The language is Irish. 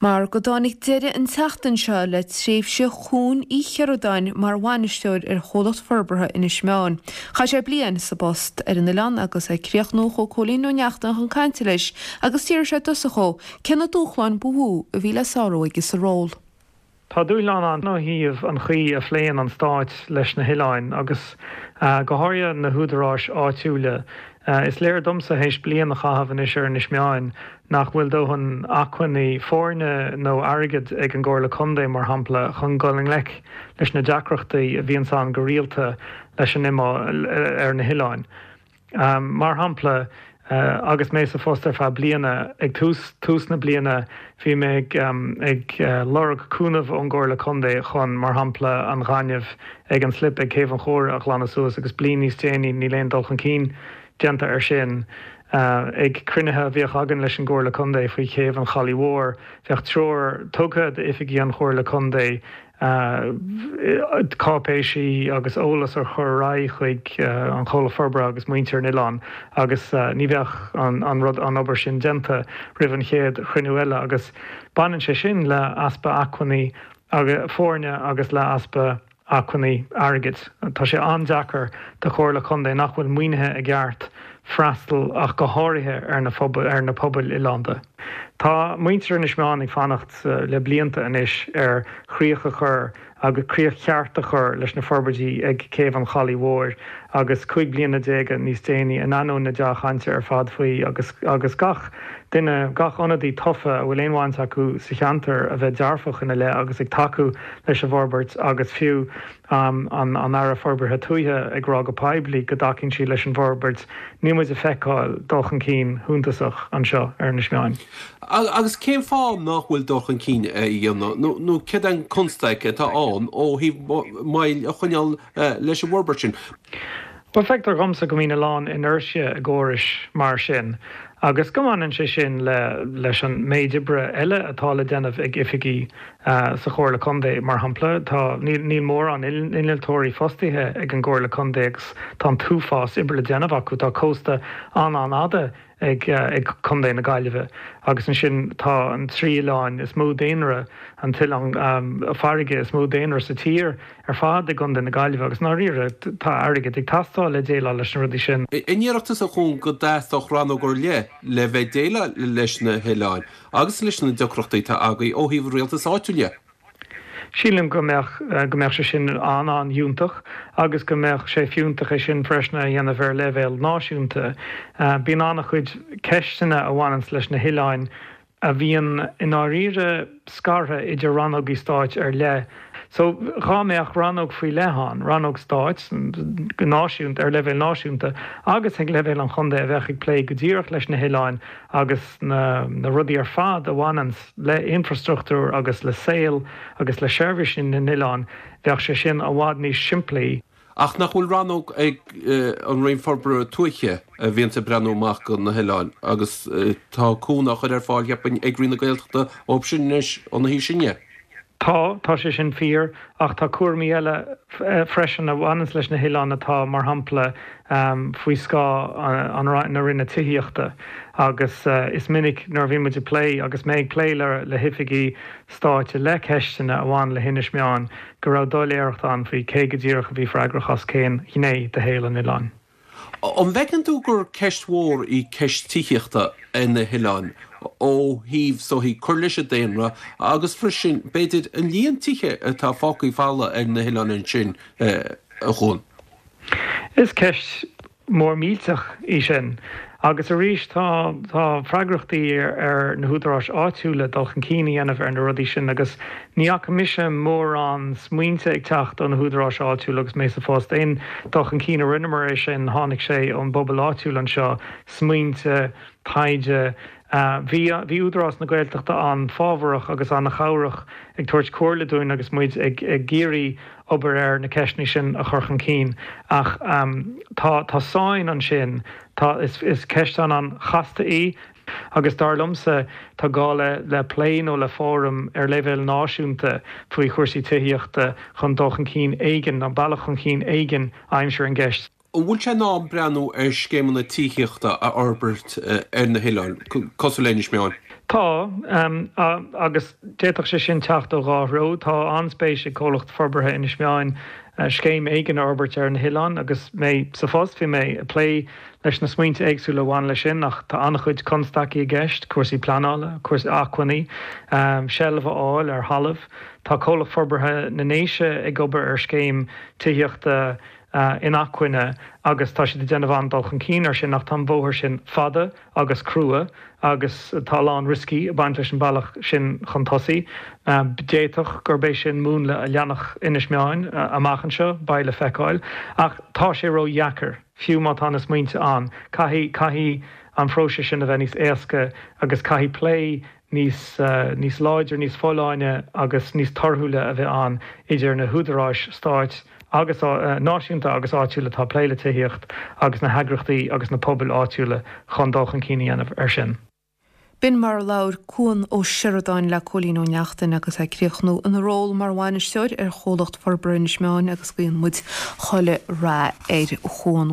Mar go dtáinig deireadh an tseachtain seo le tréimhse Chuan Uí Chinneardáin mar bhainisteoir ar Chomhlacht Forbartha Inis Meáin. Chaith sé bliain sa bpost ar an oileán agus ag críochnú chuaigh Cóilín Ó Neachtain chun cainte leis agus d'fhiafraigh sé i dtosach dhó cé na dúshláin ba mhó a bhí le sárú aige sa ról. Tá dúshlán ann ó thaobh an chaoi a phléann an Stáit leis na hoileáin agus go háirithe na húdaráis áitiúla. Is léir domsa théis bliain a chaitheamh anois ar Inis Meáin nach bhfuil dóthain acmhainní foirne nó airgid ag an gComhairle Contae, mar shampla, chun dul i ngleic leis na deacrachtaí a bhíonns ann go rialta leis an ar na hoileáin. Mar shampla, agus mé sa phost ar feadh bliana, ag tús tús na bliana bhí mé ag ag lorg cúnamh ón gComhairle Contae chun, mar shampla, an ghaineamh ag an slip ag Céibh an Chóire a ghlanadh suas agus bliain níos déanaí níl aon dul chun cinn déanta air sin. Ag cruinnithe a bhíodh againn leis an gComhairle Contae faoi Chéibh an Chalaidh Mhóir, bheadh treoir tugtha d'oifigigh an Chomhairle Contae cáipéisí agus eolas a chur ar aghaidh chuig an Chomhlacht Forbartha agus muintir an oileáin agus ní bheadh an rud, an obair sin déanta roimh an chéad chruinniú eile agus baineann sé sin le easpa acmhainní foirne agus le easpa acmhainní airgid. Tá sé an-deacair do Chomhairle Contae nach bhfuil maoinithe i gceart freastal ach go háirithe ar na ar na pobail oileánda. Tá muintir Inis Meáin ag fanacht le blianta anois ar chríoch a chur agus críoch cheart a chur leis na forbairtí ag Céibh an Chalaidh Mhóir agus 15 bliana níos déanaí, in ainneoin na dea-chainte ar fad faoi agus agus gach duine, gach ionadaí tofa a bhfuil aon bhaint acu sa cheantar a bheith dearfach ina leith agus ag tacú leis an bhforbairt agus fiú an Aire Forbartha Tuaithe ag rá go poiblí go dtacaíonn sí leis an bhforbairt, níl muid ag feiceáil dul chun cinn shuntasach anseo ar Inis Meáin. Agus cén fáth nach bhfuil dul chun cinn á dhéanamh, nó céard é an constaic atá ann ó thaobh moill a choinneáil leis an bhforbairt sin? Bhuel, feictear dhomsa go mbíonn a lán inertia i gcórais mar sin agus go mbaineann sé sin le leis an méid oibre eile atá le déanamh ag oifigigh sa Chomhairle Contae, mar shampla. Tá, níl, níl mórán innealtóirí fostaithe ag an gComhairle Contae agus tá an t-uafás oibre le déanamh acu. Tá cósta an-an-fhada ag ag Contae na Gaillimhe agus ansin tá an trí oileáin is mó daonra, an t-oileán farraige is mó daonra sa tír ar fad i gContae na Gaillimhe agus i ndáiríre tá airgead ag teastáil le déileáil leis na rudaí sin. An ndéarfadh tusa a Chuain go dteastódh rannóg ar leith le bheith ag déileáil leis na hoileáin agus leis na deacrachtaí atá agaibh ó thaobh an rialtais áitiúil dhe? Sílim go mbeadh, go mbeadh sé sin an-an-fhiúntach agus go mbeadh sé fiúntach é sin freisin a dhéanamh ar leibhéal náisiúnta. Bíonn an-chuid ceisteanna a bhaineanns leis na hoileáin a bhíonn i ndáiríre scartha idir rannógaí stáit ar leith. So, dhá mbeadh rannóg faoi leith ann, rannóg stáit, go náisiúnta, ar leibhéal náisiúnta agus ag leibhéal an chontae a bheadh ag plé go díreach leis na hoileáin agus na rudaí ar fad a bhaineanns le infrastruchtúr agus le saol agus le seirbhísí na n-oileán, bheadh sé sin i bhfad níos simplí. Ach nach bhfuil rannóg ag an Roinn Forbartha Tuaithe a bhíonns ag breathnú amach do na hoileáin agus tá cúnamh á chur ar fáil, cheapfainn, ag Roinn na Gaeltachta ó sin anois, óna thaobh sin dhe? Tá, tá sé sin fíor, ach tá cúraimí eile freisin a bhaineanns leis na hoileáin atá, mar shampla, faoi scáth an na Roinne Tithíochta agus is minic nuair a bhíonn muid ag plé, agus mé ag plé le hoifigí stáit i leith ceisteanna a bhain le hInis Meáin, go raibh doiléireacht ann faoi cé go díreach a bhí freagrach as cén ghné de shaol an oileáin. An bhfeiceann tú gur ceist mhór í ceist tithíochta ar na hoileáin ó thaobh is dóichí cur leis an daonra agus freisin, b'fhéidir, an líon tithe atá fágtha folamh ar na hoileáin ansin, a Chuain? Is ceist mór millteach í sin. Agus arís tá tá freagrachtaí ar na húdaráis áitiúla dul chun cinn a dhéanamh ar na rudaí sin agus ní fhaca mise mórán smaointe ag teacht ó na húdaráis áitiúla agus mé sa phost. Aon dul chun cinn a rinneamar é sin tháinig sé ón bpobal áitiúil anseo, smaointe, taighde. Bhí bhí Údarás na Gaeltachta an-fhábharach agus an-chabhrach ag tabhairt comhairle dúinn agus muid ag ag iarraidh obair ar na ceisteanna sin a chur chun cinn. Ach tá tá sáinn ansin, tá is is ceist an-an-chasta í agus dar liomsa tá gá le le plé nó le fóram ar leibhéal náisiúnta faoi chúrsaí tithíochta chun dul chun cinn éigin nó bealach chun cinn éigin a aimsiú ar an gceist. An bhfuil sé in am breathnú ar scéimeanna tithíochta a fhorbairt ar na hoileáin, cosúil le Inis Meáin? Tá, agus d'fhéadfadh sé sin teacht ó dhá threo. Tá an-spéis ag Comhlacht Forbartha Inis Meáin scéim éigin a fhorbairt ar na hoileáin agus mé sa phost bhí mé ag plé leis na smaointe éagsúla a bhain leis sin ach tá an-chuid constaicí i gceist, cúrsaí pleanála, cúrsaí acmhainní, seilbh a fháil ar thalamh. Tá Comhlacht Forbartha na nDéise ag obair ar scéim tithíochta inacmhainne agus tá siad ag déanamh an-dul chun cinn air sin ach tá an bóthar sin fada agus crua agus tá a lán rioscaí ag baint leis an bealach sin chun tosaigh. D'fhéadfadh gurb é sin múnla a leanfadh Inis Meáin amach anseo, beidh le feiceáil. Ach tá sé ródheacair, fiú má tá na smaointe ann. Caithfidh, caithfidh an phróiseas sin a bheith níos éasca agus caithfidh plé níos níos láidre, níos folláine agus níos torthúla a bheith ann idir na húdaráis stáit agus náisiúnta agus áitiúla atá ag plé le tithíocht agus na heagraíochtaí agus na pobail áitiúla chun dul chun cinn a dhéanamh air sin. B'in mar a labhair Cuan Ó Seireadáin le Cóilín Ó Neachtain agus é ag críochnú ina ról mar bhainisteoir ar Chomhlacht Forbartha Inis Meáin agus guíonn muid chuile rath ar Chuan.